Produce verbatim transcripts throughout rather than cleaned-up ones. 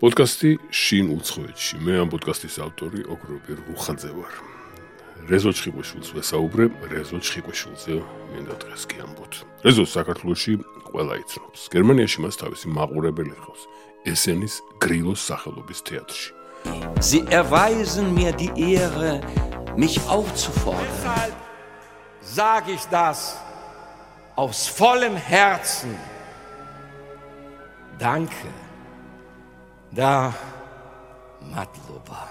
პოდკასტი შინ უცხოეთში. მე ამ პოდკასტის ავტორი ოქროპი რუხაძე ვარ. რეზო ჩხიკვეშვილს ვესაუბრე, რეზო ჩხიკვეშვილზე მინდა დღეს კი ამბოთ. რეზო საქართველოში ყველა იცნობს. გერმანიაში მას თავისი მაყურებელი ჰყავს. ესენის გრილოს სახელობის თეატრში. Sie erweisen mir die Ehre, mich aufzufordern. Deshalb sage ich das aus vollem Herzen. Danke. Da Madloba.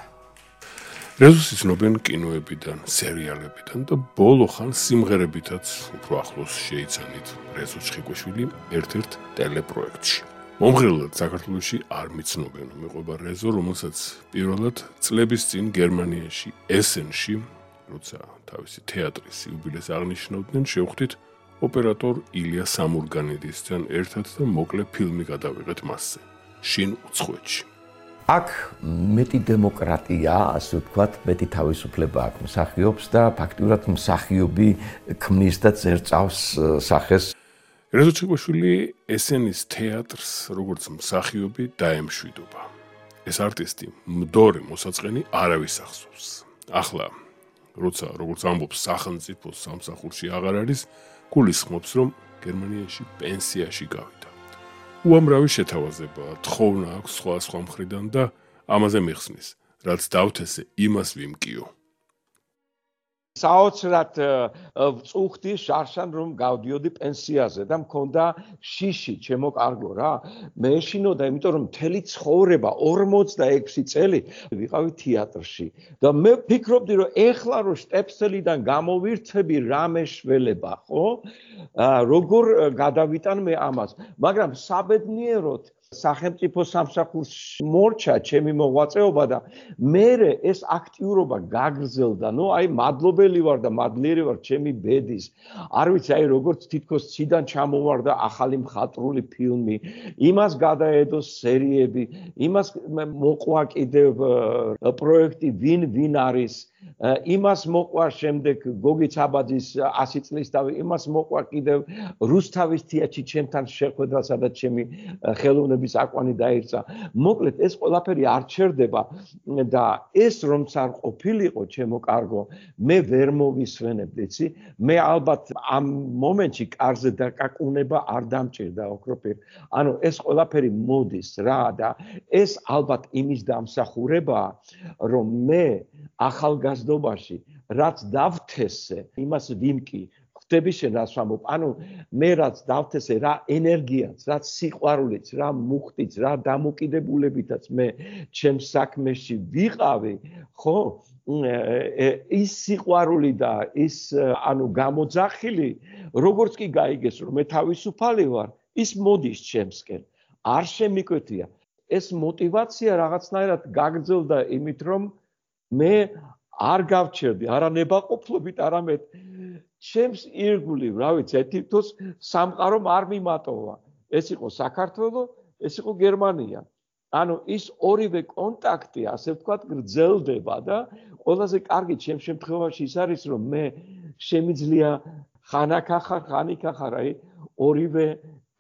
რეზოს იცნობენ კინოებიდან, სერიალებიდან და ბოლო ხანს სიმღერებითაც უფრო ახლოს შეიცანით რეზო ჩხიკვეშვილი ერთ-ერთ ტელეპროექტში. მომღერლად საქართველოში არ მიცნობენ, მეყვება რეზო, რომელსაც პირველად წლების წინ გერმანიაში ესენში, როცა თავისი თეატრის იუბილეს აღნიშნავდნენ, შევხვდით ოპერატორ ილია სამურგანიდისთან ერთად და მოკლე ფილმი გადავიღეთ მასზე. შინ უცხოეთში. აქ მეტი დემოკრატია, ასე ვთქვათ, მეტი თავისუფლება აქვს მსახიობს და ფაქტიურად მსახიობი ქმნის და წერწავს სახეს. რეზო ჩხიკვეშვილი ესენის თეატრს როგორც მსახიობი დაემშვიდობა. ეს არტისტი მდორე მოსაწყენი არავის ახსოვს. ახლა, როცა როგორც ამბობს სახელმწიფო სამსახურში აღარ არის, გულისხმობს, რომ გერმანიაში პენსიაში გავიდა. უამრავი შეთავაზება, თხოვნა აქვს სხვა სხვა მხრიდან და ამაზე მიხსნის, რაც დავთესე, იმას ვიმკიო. საოცრად ვწუხდი შარშან რომ გავდიოდი პენსიაზე და მქონდა შიში ჩემო კარგო რა მე ეშინოდა იმიტომ რომ მთელი ცხოვრება ორმოცდაექვსი წელი ვიყავი თეატრში და მე ვფიქრობდი რომ ეხლა რომ შტეფსელიდან გამოვირთები რა მეშველება ხო როგორ გადავიტან მე ამას მაგრამ საბედნიეროდ სახელმწიფო სამსახურში მორჩა ჩემი მოღვაწეობა და მე ეს აქტიურობა გაგრძელდა. ნუ აი მადლობელი ვარ და მადლიერი ვარ ჩემი ბედის. არ ვიცი აი როგორც თითქოს ციდან ჩამოვარდა ახალი მხატვრული ფილმი, იმას გადაედო სერიები, იმას მოყვა კიდევ პროექტი ვინ ვინ არის იმას მოყვა შემდეგ გოგი ცაბაძის ასი წლის თავი იმას მოყვა კიდევ რუსთავის თეატრში ჩემთან შეხვედრა სადაც ჩემი ხელოვნების აკვანი დაირწა მოკლედ ეს ყველაფერი არ ჩერდება და ეს რომც არ ყოფილიყო ჩემო კარგო მე ვერ მოვისვენებდი იცი მე ალბათ ამ მომენტში კარზე დაკაკუნება არ დამჭირდა ოქროპირ ანუ ეს ყველაფერი მოდის რა და ეს ალბათ იმის დამსახურებაა რომ მე ახალგაზრდობაში რაც დავთესე იმას ვიმკი ხვდები შენ რას ვამბობ ანუ მე რაც დავთესე რა ენერგიაც რაც სიყვარულიც რა მუხტიც რა დამოკიდებულებითაც მე ჩემ საქმეში ვიყავი ხო ის სიყვარული და ის ანუ გამოძახილი როგორც კი გაიგეს რომ მე თავისუფალი ვარ ის მოდის ჩემსკენ არ შემიკვეთია ეს мотивация რაღაცნაირად გაგრძელდა იმით რომ მე არ გავჩერდი არა ნებაყოფლობით არამედ ჩემს ირგვლივ რა ვიცი თითქოს სამყარომ არ მიმატოვა ეს იყო საქართველო ეს იყო გერმანია ანუ ის ორივე კონტაქტი ასე ვთქვათ გრძელდება და ყველაზე კარგი ჩემ შემთხვევაში ის არის რომ მე შემიძლია ხანაკახარ ხანიკახარ აი ორივე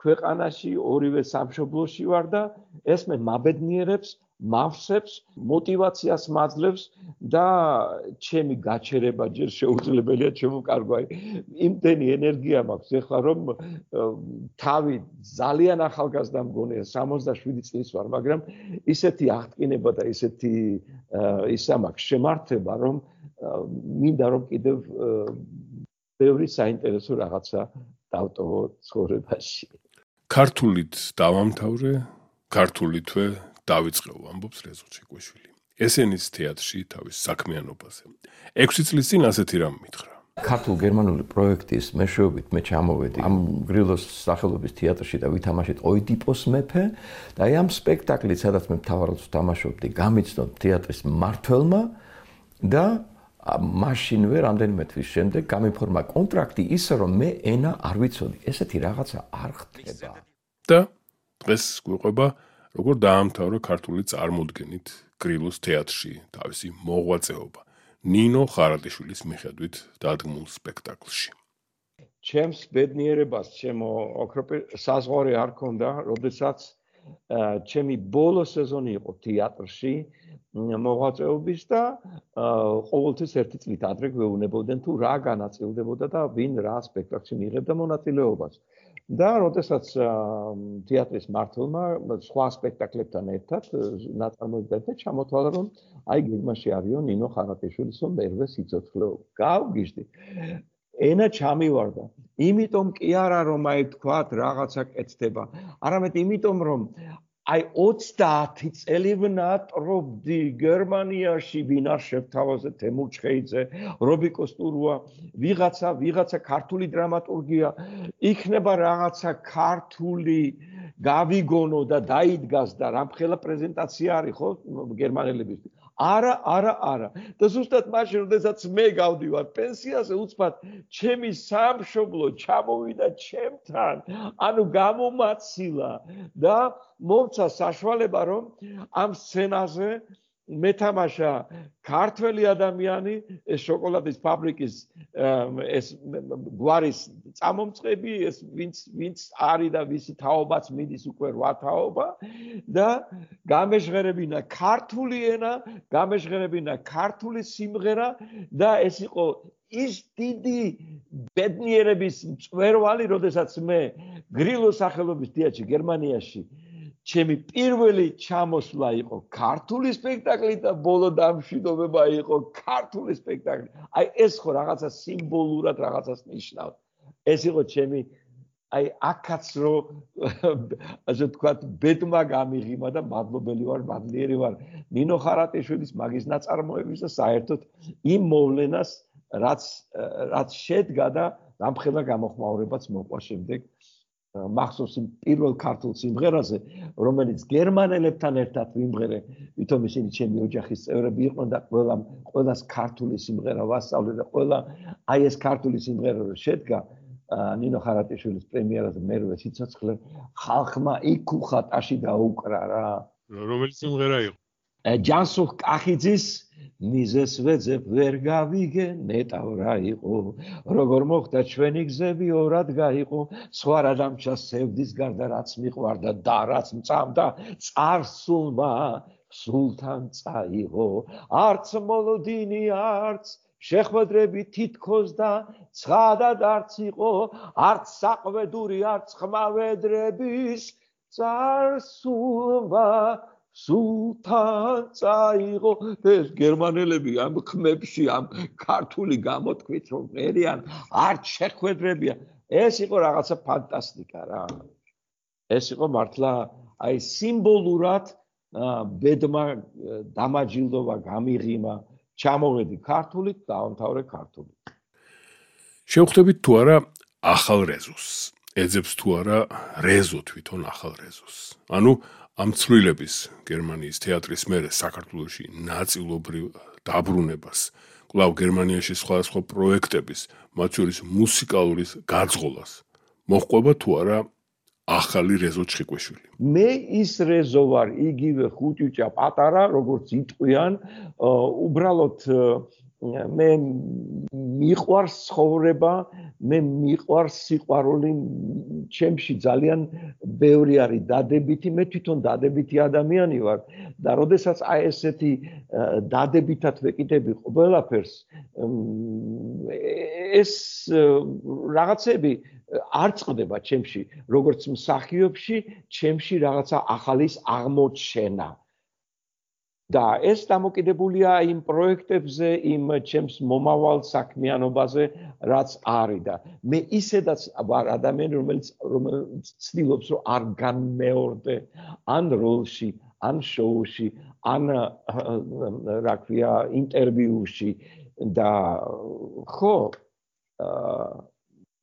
ქვეყანაში ორივე სამშობლოში ვარ და ეს მე მაბედნიერებს მავსებს мотиваციას მაძლევს და ჩემი გაჩერება ჯერ შეუძლებელია ჩემო კარგო აი იმდენი ენერგია მაქვს ეხლა რომ თავი ძალიან ახალგაზრდა მგონია სამოცდაშვიდი წლის ვარ მაგრამ ისეთი აღტკინება და ისეთი ისა მაქვს შემართება რომ მინდა რომ კიდევ ბევრი საინტერესო რაღაცა დავტოვო ცხოვრებაში ქართულით დავამთავრე ქართულითვე დავიწყევ ამბობს რეზო ჩხიკვეშვილი. ესენის თეატრში თავის საქმიანობაზე. ექვსი წლის წინ ასეთი რამ მითხრა. ქართულ-გერმანული პროექტის მეშვეობით მე ჩამოვედი ამ გრილოს სახელობის თეატრში და ვითამაშეთ ოიდიპოს მეფე და აი ამ სპექტაკლით სადაც მე მთავარ როლს ვთამაშობდი გამიცნო თეატრის მმართველმა და მაშინვე რამდენიმე თვის შემდეგ გამიფორმა კონტრაქტი ისე რომ მე ენა არ ვიცოდი. ესეთი რაღაცა არ ხდება. და დღეს გვიყვება როგორ დაამთავრა ქართული წარმოდგენით გრილოს თეატრში თავისი მოღვაწეობა ნინო ხარატიშვილის მიხედვით დადგმულ სპექტაკლში. ჩემს ბედნიერებას ჩემო ოქროპირ საზღვარი არ ქონდა, როდესაც ჩემი ბოლო სეზონი იყო თეატრში მოღვაწეობის და ყოველთვის ერთი წლით ადრე გვეუბნებოდნენ თუ რა განაწილდებოდა და ვინ რა სპექტაკლში მიიღებდა მონაწილეობას. და როდესაც თეატრის მმართველმა სხვა სპექტაკლებთან ერთად ნაწარმოებებთან ჩამოთვალა რომ აი გეგმაში არისო ნინო ხარატიშვილის მერვე სიცოცხლეობა. გავგიჟდი. ენა ჩამივარდა. იმიტომ კი არა რომ აი თქვათ რაღაცა კეთდება, არამედ იმიტომ რომ აი ოცდაათი წელი ვნატრობდი გერმანიაში ვინ არ შევთავაზე თემურ ჩხეიძე, რობიკო სტურუა, ვიღაცა, ვიღაცა ქართული დრამატურგია, იქნება რაღაცა ქართული გავიგონო და დაიდგას და რამხელა პრეზენტაცია არის ხო გერმანელებისთვის. არა, არა, არა. და ზუსტად მაშინ, როდესაც მე გავდივარ პენსიაზე, უცბად ჩემი სამშობლო ჩამოვიდა ჩემთან, ანუ გამომაცილა და მომცა საშუალება, რომ ამ სცენაზე მეთამაშა ქართველი ადამიანი, ეს შოკოლადის ფაბრიკის ეს გვარის წამომწყები, ეს ვინც ვინც არის და ვისი თაობაც მიდის უკვე რვა თაობა და გამეჟღერებინა ქართული ენა, გამეჟღერებინა ქართული სიმღერა და ეს იყო ის დიდი ბედნიერების მწვერვალი, როდესაც მე გრილოს სახელობის თეატრში გერმანიაში ჩემი პირველი ჩამოსვლა იყო ქართული სპექტაკლი და ბოლო დამშვიდობება იყო ქართული სპექტაკლი. აი ეს ხო რაღაცა სიმბოლურად რაღაცას ნიშნავს. ეს იყო ჩემი აი აქაც რო ასე ვთქვათ ბედმა გამიღიმა და მადლობელი ვარ, მადლიერი ვარ ნინო ხარატიშვილის მაგის ნაწარმოების და საერთოდ იმ მოვლენას რაც რაც შედგა და რამხელა გამოხმაურებაც მოყვა შემდეგ მახსოვს იმ პირველ ქართულ სიმღერაზე, რომელიც გერმანელებთან ერთად ვიმღერე, ვითომ ისინი ჩემი ოჯახის წევრები იყვნენ და ყველა ყველას ქართული სიმღერა ვასწავლე და ყველა აი ეს ქართული სიმღერა რო შედგა ნინო ხარატიშვილის პრემიერაზე მერვე სიცოცხლე ხალხმა იქ უხატაში დაუკრა რა. რომელი სიმღერა იყო? ჯანსუღ კახიძის მიზეს ვეძებ ვერ გავიგე ნეტავ რა იყო როგორ მოხდა ჩვენი გზები ორად გაიყო სხვა რა დამჩა სევდის გარდა რაც მიყვარდა და რაც მწამდა წარსულმა სულთან წაიღო არც მოლოდინი არც შეხვედრები თითქოს და ცხადად არც იყო არც საყვედური არც ხმავედრების წარსულმა სულთან წაიღო ეს გერმანელები ამ ხმებში ამ ქართული გამოთქვით რომ ერიან არ შეხვედრებია ეს იყო რაღაცა ფანტასტიკა რა ეს იყო მართლა აი სიმბოლურად ბედმა დამაჯილდოვა გამიღიმა ჩამოვედი ქართულით დავამთავრე ქართულით შევხვდებით თუ არა ახალ რეზოს ეძებს თუ არა რეზო თვითონ ახალ რეზოს ანუ ამ ცვლილების გერმანიის თეატრის მერე საქართველოში ნაწილობრივ დაბრუნებას, კვლავ გერმანიაში სხვადასხვა პროექტების, მათ შორის მუსიკალურის გაძღოლას, მოჰყვება თუ არა ახალი რეზო ჩხიკვეშვილი. მე ის რეზო ვარ, იგივე ხუჭუჭა პატარა, როგორც იტყვიან, უბრალოდ მე მიყვარს ცხოვრება, მე მიყვარს სიყვარული, ჩემში ძალიან ბევრი არის დადებითი, მე თვითონ დადებითი ადამიანი ვარ და როდესაც აი ესეთი დადებითად ვეკიდები ყველაფერს ეს რაღაცები არ წყდება ჩემში, როგორც მსახიობში, ჩემში რაღაცა ახალის აღმოჩენა. და ეს დამოკიდებულია იმ პროექტებზე, იმ ჩემს მომავალ საქმიანობაზე, რაც არის და მე ისედაც ვარ ადამიანი, რომელიც რომელიც ცდილობს, რომ არ განმეორდე ან როლში, ან შოუში, ან რა ქვია, ინტერვიუში და ხო,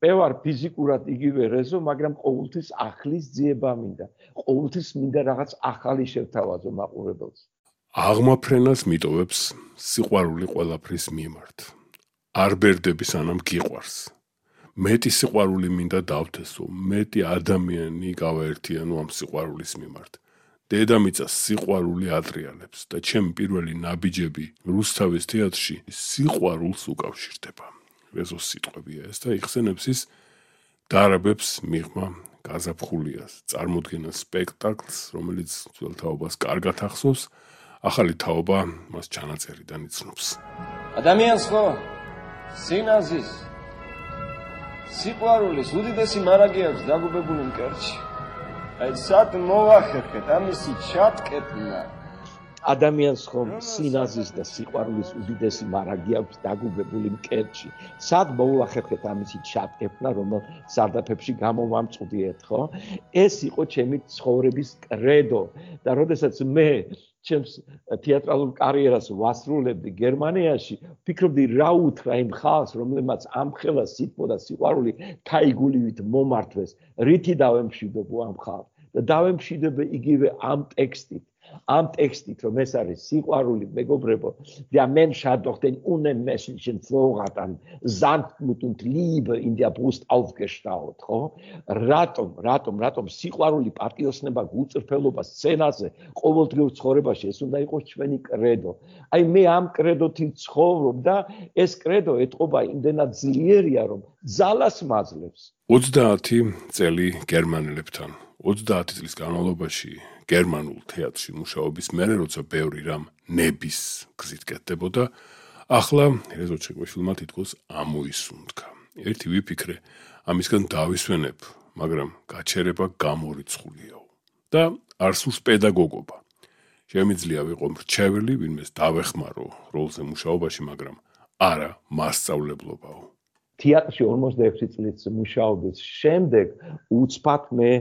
მე ვარ ფიზიკურად იგივე რეზო, მაგრამ ყოველთვის ახლის ძიება მინდა. ყოველთვის მინდა რაღაც ახალი შევთავაზო მაყურებელს. აღმაფრენას მიტოვებს სიყვარული ყველაფრის მიმართ. არ ბერდები სანამ გიყვარს. მეტი სიყვარული მინდა დავთესო, მეტი ადამიანი გავაერთიანო ამ სიყვარულის მიმართ. დედამიწას სიყვარული ატრიალებს და ჩემი პირველი ნაბიჯები რუსთავის თეატრში სიყვარულს უკავშირდება. რეზოს სიტყვებია ეს და იხსენებს ის დარაბებს მიღმა გაზაფხულიას წარმოდგენა სპექტაკლს, რომელიც ძველ თაობას კარგად ახსოვს, ახალი თაობა მას ჩანაწერიდან იცნობს. ადამიანს ხო სინაზის სიყვარულის უდიდესი მარაგი აქვს დაგუბებული მკერდში. აი სად მოვახერხეთ ამისი ჩატკეტნა. ადამიანს ხომ სინაზის და სიყვარულის უდიდესი მარაგი აქვს დაგუბებული მკერდში. სად მოვახერხეთ ამისი ჩატკეტნა, რომელ სარდაფებში გამოვამწვდიეთ, ხო? ეს იყო ჩემი ცხოვრების კრედო და როდესაც მე ჩემს თეატრალურ კარიერას ვასრულებდი გერმანიაში, ვფიქრობდი რა უთხრა იმ ხალხს, რომელმაც ამ ხელას სიტყვა და სიყვარული თაიგულივით მომართვეს, რითი დავემშვიდობო ამ ხალხს და დავემშვიდობე იგივე ამ ტექსტით. Am Textit, რომ ეს არის სიყვარული, მეგობრებო, der Mensch hat doch den unmenschlichen Vorrat an Sanftmut und Liebe in der Brust aufgestaut, ხო? Ratom, ratom, ratom სიყვარული, პატიოსნება, გულწრფელობა სცენაზე, ყოველდღიურ ცხოვრებაში ეს უნდა იყოს ჩვენი კრედო. Აი მე ამ კრედოთი ცხოვრობ და ეს კრედო ეთყობა იმდენად ძლიერია, რომ ძალას მაძლევს. ოცდაათი წელი გერმანელებთან, ოცდაათი წლის განმავლობაში გერმანულ თეატრში მუშაობის მერე, როცა ბევრი რამ ნების გზით კეთდებოდა, ახლა რეზო ჩეკვეშვილმა თითქოს ამოისუნთქა. ერთი ვიფიქრე, ამისგან დავისვენებ, მაგრამ გაჩერება გამორიცხულიაო და არ სურს პედაგოგობა. შემიძლია ვიყო მრჩეველი, ვინმეს დავეხმარო როლზე მუშაობაში, მაგრამ არა მასწავლებლობაო. თეატრში ორმოცდაექვსი წლის მუშაობის შემდეგ უცბად მე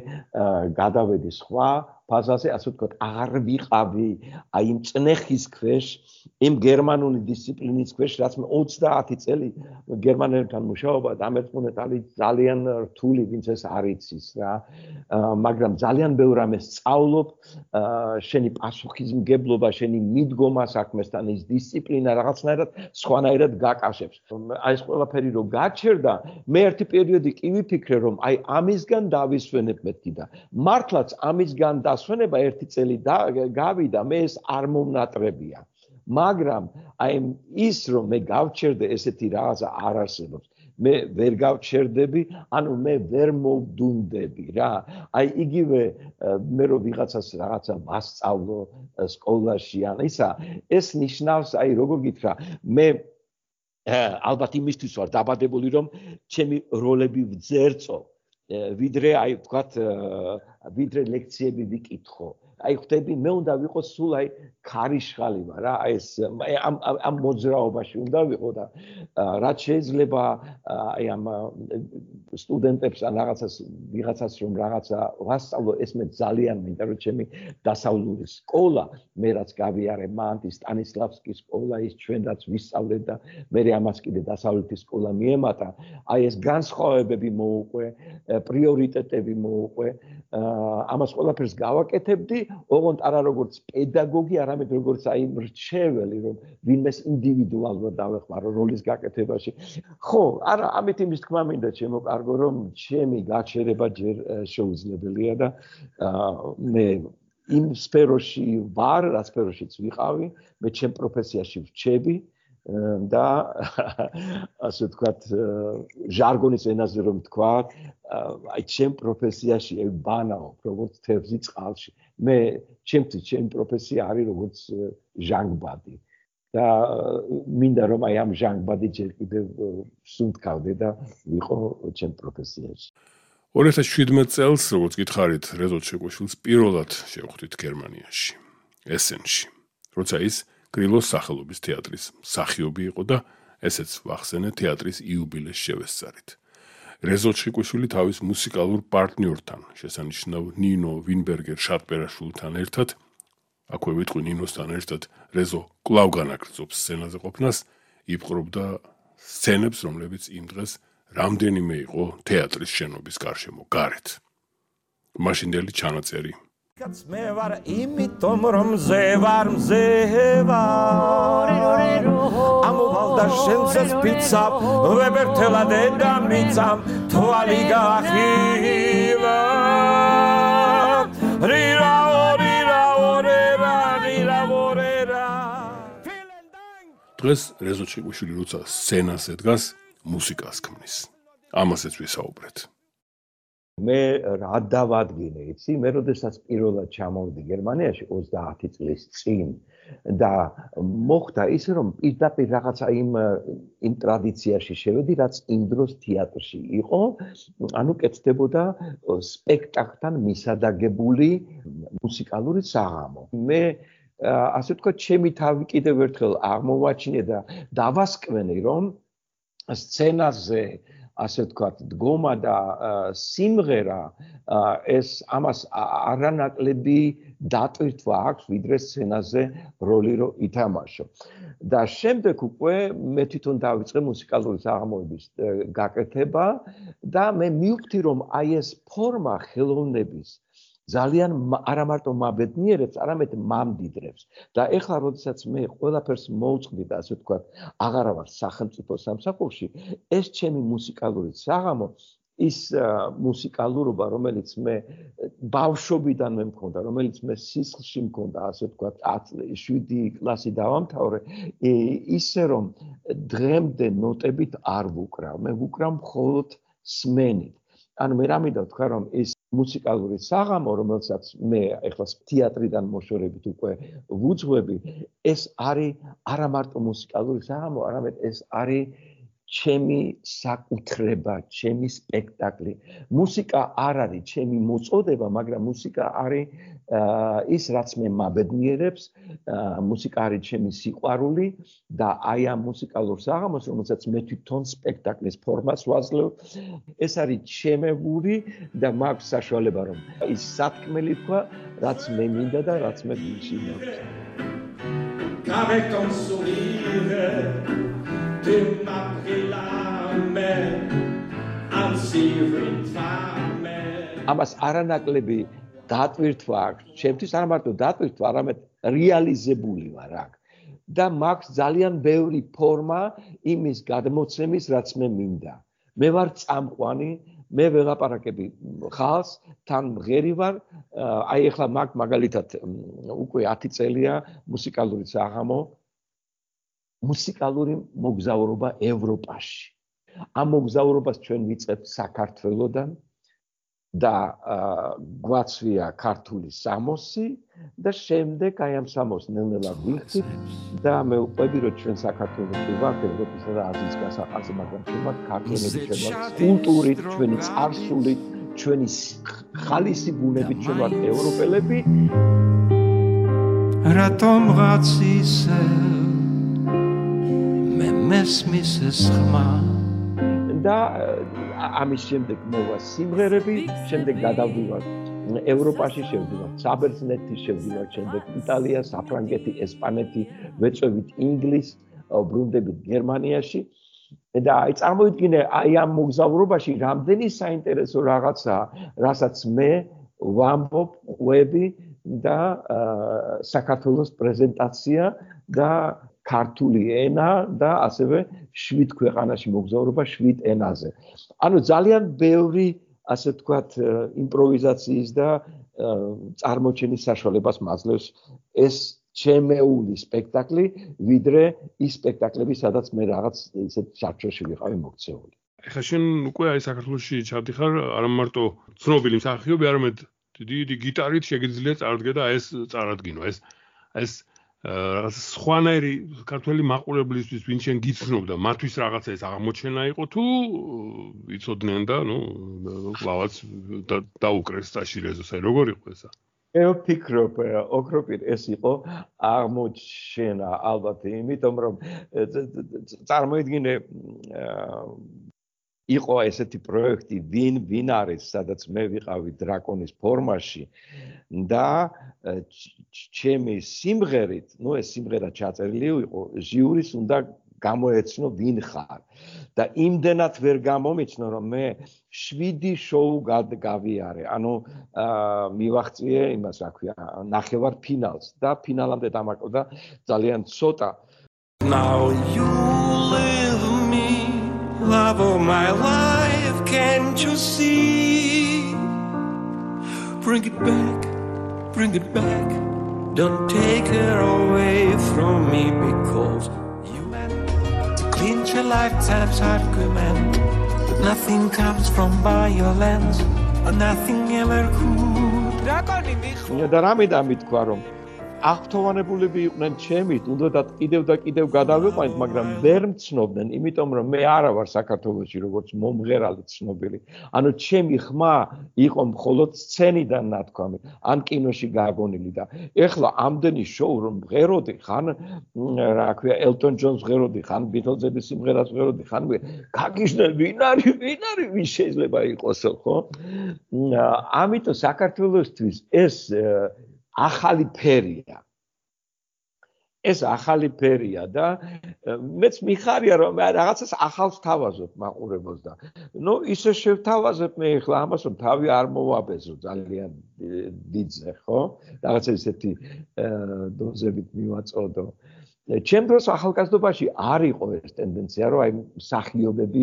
გადავედი სხვა ფაზაზე, ასე ვთქვათ, არ ვიყავი აი იმ წნეხის ქვეშ, იმ გერმანული დისციპლინის ქვეშ, რაც მე ოცდაათი წელი გერმანელებთან მუშაობა დამერწმუნეთ არის ძალიან რთული, ვინც ეს არ იცის რა. მაგრამ ძალიან ბევრ რამეს სწავლობ, შენი პასუხისმგებლობა, შენი მიდგომა საქმესთან, ის დისციპლინა რაღაცნაირად სხვანაირად გაკავშირებს. აი ეს ყველაფერი რო გაჩერდა, მე ერთი პერიოდი კი ვიფიქრე, რომ აი ამისგან დავისვენებ მეთქი და მართლაც ამისგან დასვენება ერთი წელი გავიდა, მე ეს არ მომნატრებია. მაგრამ აი ის რომ მე გავჩერდე ესეთი რაღაცა არ არსებობს. მე ვერ გავჩერდები, ანუ მე ვერ მოვდუნდები რა. აი იგივე მე რო ვიღაცას რაღაცა ვასწავლო სკოლაში ან ისა, ეს ნიშნავს, აი როგორ გითხრა, მე ალბათ იმისთვის ვარ დაბადებული, რომ ჩემი როლები ვძერწო, ვიდრე აი ვთქვათ, ვიდრე ლექციები ვიკითხო. აი ხვდები, მე უნდა ვიყო სულ აი ქარიშხალი ვარ რა, აი ეს ამ ამ მოძრაობაში უნდა ვიყო და რაც შეიძლება აი ამ სტუდენტებს ან რაღაცას ვიღაცას რომ რაღაცა ვასწავლო, ეს მე ძალიან მინდა, რომ ჩემი დასავლური სკოლა, მე რაც გავიარე მანტი სტანისლავსკის სკოლა, ის ჩვენ რაც ვისწავლეთ და მე ამას კიდე დასავლეთის სკოლა მიემატა, აი ეს განსხვავებები მოუყვე, პრიორიტეტები მოუყვე, ამას ყველაფერს გავაკეთებდი, ოღონდ არა როგორც პედაგოგი, არამედ როგორც აი მრჩეველი, რომ ვინმეს ინდივიდუალურად დავეხმარო როლის გაკეთებაში. ხო, არა, ამით იმის თქმა მინდა ჩემო კარგო, რომ ჩემი გაჩერება ჯერ შეუძლებელია და მე იმ სფეროში ვარ, რა სფეროშიც ვიყავი, მე ჩემ პროფესიაში ვრჩები და ასე ვთქვათ, ჟარგონის ენაზე რომ ვთქვა, აი ჩემ პროფესიაში ვბანაობ, როგორც თევზი წყალში. მე ჩემთვის ჩემი პროფესია არის როგორც ჟანგბადი და მინდა რომ აი ამ ჟანგბადი ჯერ კიდევ სუნთქავდე და ვიყო ჩემ პროფესიაში. ორი ათას შვიდმეტ წელს, როგორც გითხარით, რეზო ჩეკვეშვილს პირველად შევხვდით გერმანიაში, ესენში, როცა ის გრილოს სახელობის თეატრის მსახიობი იყო და ესეც ვახსენე თეატრის იუბილეს შევესწარით. რეზო ჩეკვეშვილი თავის მუსიკალურ პარტნიორთან, შესანიშნავ ნინო ვინბერგერ შატბერაშვილთან ერთად, აქვე ვიტყვი ნინოსთან ერთად, რეზო კვლავ განაგრძობს სცენაზე ყოფნას, იპყრობდა სცენებს, რომლებიც იმ დღეს რამდენიმე იყო თეატრის შენობის გარშემო გარეთ. მაშინდელი ჩანაწერი. მე ვარ იმიტომ რომ მზე ვარ მზე ვარ ამოვალდა შენზე სპიცა ვებერთელა დედამიწამ თვალი გაახილა რირა რირა რირა რირა რირა დღეს რეზო ჩეკვეშვილი როცა სცენაზე დგას, მუსიკას ქმნის. ამასაც ვისაუბრეთ. მე რა დავადგინე, იცი, მე როდესაც პირველად ჩამოვიდი გერმანიაში ოცდაათი წლის წინ და მოხდა ისე რომ პირდაპირ რაღაცა იმ იმ ტრადიციაში შევედი, რაც იმ დროს თეატრში იყო, ანუ კეთდებოდა სპექტაკლთან მისადაგებული მუსიკალური საღამო. მე ასე ვთქვათ, ჩემი თავი კიდევ ერთხელ აღმოვაჩინე და დავასკვენი, რომ სცენაზე ასე ვთქვათ, დგომა და სიმღერა ეს ამას არანაკლები დატვირთვა აქვს, ვიდრე სცენაზე როლი რო ითამაშო. და შემდეგ უკვე მე თვითონ დავიწყე მუსიკალური საღამოების გაკეთება და მე მივხვდი, რომ აი ეს ფორმა ხელოვნების ძალიან არა მარტო მაბედნიერებს, არამედ მამდიდრებს. და ეხლა როდესაც მე ყველაფერს მოვწყდი და ასე ვთქვათ, აღარა ვარ სახელმწიფო სამსახურში, ეს ჩემი მუსიკალური საღამო, ის მუსიკალურობა, რომელიც მე ბავშვობიდანვე მქონდა, რომელიც მე სისხლში მქონდა, ასე ვთქვათ, შვიდი კლასი დავამთავრე, ისე რომ დღემდე ნოტებით არ ვუკრავ, მე ვუკრავ მხოლოდ სმენით. ანუ მე რამე დავთქვა, რომ ის მუსიკალური საღამო, რომელსაც მე ეხლა თეატრიდან მოშორებით უკვე ვუძღვები, ეს არის არა მარტო მუსიკალური საღამო, არამედ ეს არის ჩემი საკუთრება, ჩემი სპექტაკლი. მუსიკა არ არის ჩემი მოწოდება, მაგრამ მუსიკა არის ის, რაც მე მაბედნიერებს, მუსიკა არის ჩემი სიყვარული და აი ამ მუსიკალურ საღამოს, რომელსაც მე თვითონ სპექტაკლის ფორმას ვაძლევ, ეს არის ჩემეული და მაქვს საშუალება, რომ ის სათქმელი თქვა, რაც მე მინდა და რაც მე გულში მაქვს. Avec ton sourire, tu m'as pris la main, ainsi une femme. ამას არანაკლები დატვირთვა აქვს, ჩემთვის არა მარტო დატვირთვა, არამედ რეალიზებული ვარ აქ. და მაქვს ძალიან ბევრი ფორმა იმის გადმოცემის, რაც მე მინდა. მე ვარ წამყვანი, მე ველაპარაკები ხალხს, თან მღერი ვარ, აი ეხლა მაგ მაგალითად უკვე ათი წელია მუსიკალური საღამო, მუსიკალური მოგზაურობა ევროპაში. ამ მოგზაურობას ჩვენ ვიწყებთ საქართველოდან და გვაცვია ქართული სამოსი და შემდეგ აი ამ სამოს ნელ-ნელა ვიხდით და მე ვყვები, რომ ჩვენ საქართველოს კი ვართ ევროპისა და აზიის გასაყარზე, მაგრამ ჩვენ ვართ ქართველები, ჩვენ ვართ კულტურით, ჩვენი წარსულით, ჩვენი ხალისი ბუნებით, ჩვენ ვართ ევროპელები. რატომ რაც ისე მე მესმის ეს ხმა და ამის შემდეგ მოვა სიმღერები, შემდეგ გადავდივარ ევროპაში, შევდივარ საბერძნეთი, შევდივარ შემდეგ იტალია, საფრანგეთი, ესპანეთი, ვეწვევით ინგლისს, ბრუნდებით გერმანიაში და აი წარმოიდგინე აი ამ მოგზაურობაში რამდენი საინტერესო რაღაცა, რასაც მე ვამბობ, ყვები და საქართველოს პრეზენტაცია და ქართული ენა და ასევე შვიდ ქვეყანაში მოგზაურობა შვიდ ენაზე. ანუ ძალიან ბევრი, ასე ვთქვათ, იმპროვიზაციის და წარმოჩენის საშუალებას მაძლევს ეს ჩემეული სპექტაკლი, ვიდრე ის სპექტაკლები, სადაც მე რაღაც ისეთ ჩარჩოში ვიყავი მოქცეული. ეხლა შენ უკვე აი საქართველოში ჩავდიხარ, არა მარტო ცნობილი მსახიობი, არამედ დიდი გიტარით შეგიძლია წარდგე და ეს წარადგინო, ეს ეს რაღაც სხვანაირი ქართველი მაყურებლისთვის, ვინ შენ გიცნობდა, მათთვის რაღაცა ეს აღმოჩენა იყო თუ იცოდნენ და ნუ კლავაც დაუკრეს სტაშირეზოს, აი როგორ იყო ესა? მე ვფიქრობ, ოქროპირ ეს იყო აღმოჩენა ალბათ, იმიტომ რომ წარმოიდგინე იყო ესეთი პროექტი, ვინ ვინ არის, სადაც მე ვიყავი დრაკონის ფორმაში და ჩემი სიმღერით, ნუ ეს სიმღერა ჩაწერილი იყო, ჟიურის უნდა გამოეცნო ვინ ხარ და იმდენად ვერ გამომიცნო, რომ მე შვიდი შოუ გავიარე, ანუ მივაღწიე იმას, რა ქვია, ნახევარ ფინალს და ფინალამდე დამარყდა ძალიან ცოტა. Now you live me, love of my life, can't you see? Bring it back, bring it back, don't take her away from me because you meant to clinch a lifetime's argument, but nothing comes from violence, nothing ever could. რაკონი მიხო და რამე დამითქვა რომ აღფრთოვანებულები იყვნენ ჩემით, უნდათ კიდევ და კიდევ გადავიყვანით, მაგრამ ვერ მცნობდნენ, იმიტომ რომ მე არა ვარ საქართველოში როგორც მომღერალი ცნობილი. ანუ ჩემი ხმა იყო მხოლოდ სცენიდან ნათქვამი, ან კინოში გაგონილი და ეხლა ამდენი შოუ რომ მღეროდი, ხან რა ქვია, ელტონ ჯონს მღეროდი, ხან ბიტლზების სიმღერას მღეროდი, ხან გაგიჟდნენ ვინ არის, ვინ არის, ვის შეიძლება იყოსო, ხო? ამიტომ საქართველოსთვის ეს ახალი ფერია. ეს ახალი ფერია და მეც მიხარია რომ რაღაცას ახალს თავაზობ მაყურებელს და ნუ ისე შევთავაზებ მე ახლა ამას რომ თავი არ მოვაბეზო ძალიან დიდზე ხო? რაღაცა ისეთი დოზებით მივაწოდო. ჩემ დროს ახალგაზრდობაში არ იყო ეს ტენდენცია რომ აი მსახიობები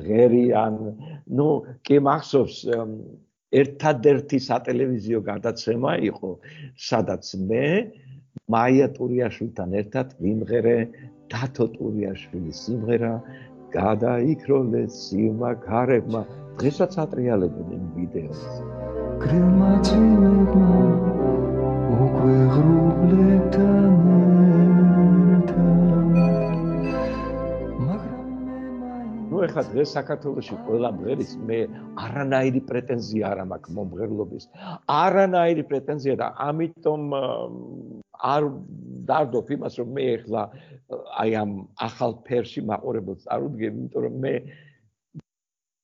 ღერიან, ნუ კი მახსოვს ერთადერთი სატელევიზიო გადაცემა იყო, სადაც მე მაია ტურიაშვილთან ერთად ვიმღერე დათო ტურიაშვილის სიმღერა გადაიქროლეს სიმაქარებმა, დღესაც ატრიალებენ იმ ვიდეოს. გრილმა წინებმა უკვე ღრუბლებთან ეხლა დღეს საქართველოში ყველა მღერის მე არანაირი პრეტენზია არ მაქვს მომღერლობის. არანაირი პრეტენზია და ამიტომ არ დავდობ იმას რომ მე ეხლა აი ამ ახალ ფერში მაყურებელს წარუდგები, იმიტომ რომ მე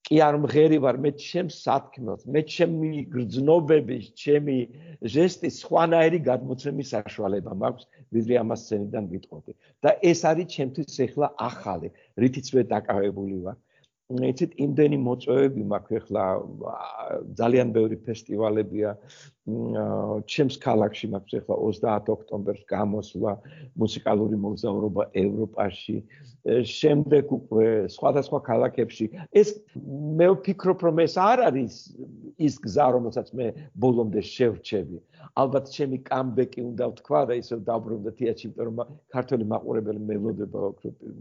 კი არ მღერი ვარ, მე ჩემს სათქმელს, მე ჩემი გრძნობების, ჩემი ჟესტის სხვანაირი გადმოცემის საშუალება მაქვს, ვიდრე ამას სცენიდან ვიტყოდი. და ეს არის ჩემთვის ეხლა ახალი, რითიც მე დაკავებული ვარ. იცით, იმდენი მოწვევები მაქვს ეხლა, ძალიან ბევრი ფესტივალებია. ჩემს ქალაქში მაქვს ეხლა ოცდაათ ოქტომბერს გამოსვლა მუსიკალური მოგზაურობა ევროპაში. შემდეგ უკვე სხვადასხვა ქალაქებში. ეს მე ვფიქრობ, რომ ეს არ არის ის გზა, რომელსაც მე ბოლომდე შევრჩები. ალბათ ჩემი კამბეკი უნდა ვთქვა და ისევ დავბრუნდა თეატრში, იმიტომ რომ ქართველი მაყურებელი მელოდება,